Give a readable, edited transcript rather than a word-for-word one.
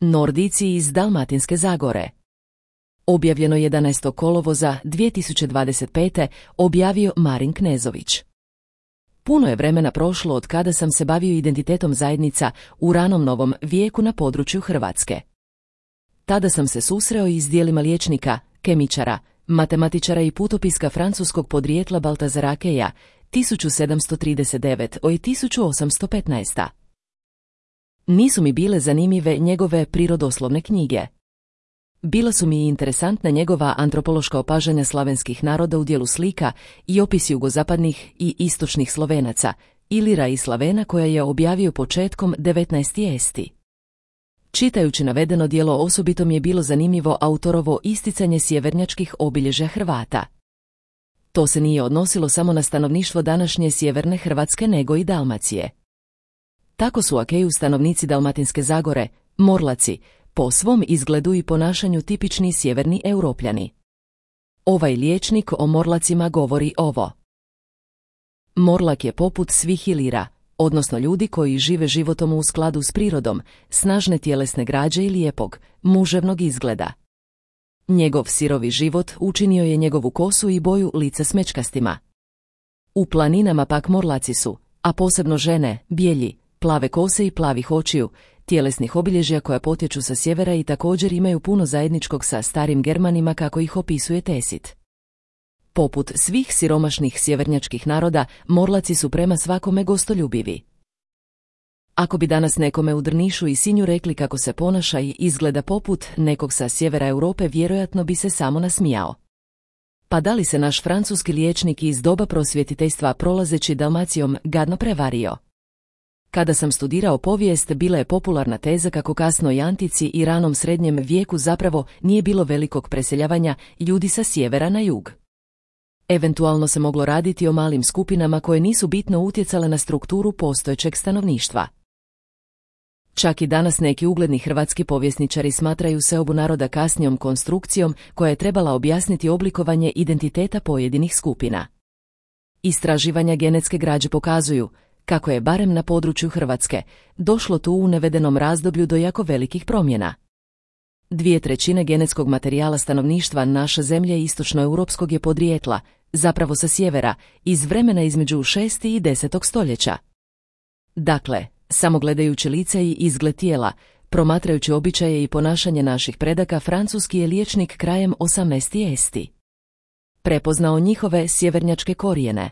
Nordijci iz Dalmatinske Zagore. Objavljeno 11. kolovoza 2025. objavio Marin Knezović. Puno je vremena prošlo od kada sam se bavio identitetom zajednica u ranom novom vijeku na području Hrvatske. Tada sam se susreo i s dijelima liječnika, kemičara, matematičara i putopiska francuskog podrijetla Baltazara Keja 1739 i 1815. Nisu mi bile zanimljive njegove prirodoslovne knjige. Bila su mi interesantna njegova antropološka opažanja slavenskih naroda u dijelu slika i opis jugozapadnih i istočnih Slovenaca, Ilira i Slavena koja je objavio početkom 19. esti. Čitajući navedeno djelo osobito mi je bilo zanimljivo autorovo isticanje sjevernjačkih obilježja Hrvata. To se nije odnosilo samo na stanovništvo današnje sjeverne Hrvatske nego i Dalmacije. Tako su Akeju stanovnici Dalmatinske Zagore, Morlaci, po svom izgledu i ponašanju tipični sjeverni Europljani. Ovaj liječnik o Morlacima govori ovo. Morlak je poput svih Ilira, odnosno ljudi koji žive životom u skladu s prirodom, snažne tjelesne građe i lijepog, muževnog izgleda. Njegov sirovi život učinio je njegovu kosu i boju lica smečkastima. U planinama pak Morlaci su, a posebno žene, bijelji, plave kose i plavih očiju, tjelesnih obilježja koja potječu sa sjevera i također imaju puno zajedničkog sa starim Germanima kako ih opisuje Tesit. Poput svih siromašnih sjevernjačkih naroda, Morlaci su prema svakome gostoljubivi. Ako bi danas nekome u Drnišu i Sinju rekli kako se ponaša i izgleda poput nekog sa sjevera Europe, vjerojatno bi se samo nasmijao. Pa da li se naš francuski liječnik iz doba prosvjetiteljstva prolazeći Dalmacijom gadno prevario? Kada sam studirao povijest, bila je popularna teza kako kasnoj antici i ranom srednjem vijeku zapravo nije bilo velikog preseljavanja ljudi sa sjevera na jug. Eventualno se moglo raditi o malim skupinama koje nisu bitno utjecale na strukturu postojećeg stanovništva. Čak i danas neki ugledni hrvatski povjesničari smatraju seobu naroda kasnijom konstrukcijom koja je trebala objasniti oblikovanje identiteta pojedinih skupina. Istraživanja genetske građe pokazuju kako je barem na području Hrvatske došlo tu u navedenom razdoblju do jako velikih promjena. 2/3 genetskog materijala stanovništva naše zemlje istočnoeuropskog je podrijetla, zapravo sa sjevera, iz vremena između 6. i 10. stoljeća. Dakle, samo gledajući lice i izgled tijela, promatrajući običaje i ponašanje naših predaka, francuski je liječnik krajem 18. esti prepoznao njihove sjevernjačke korijene.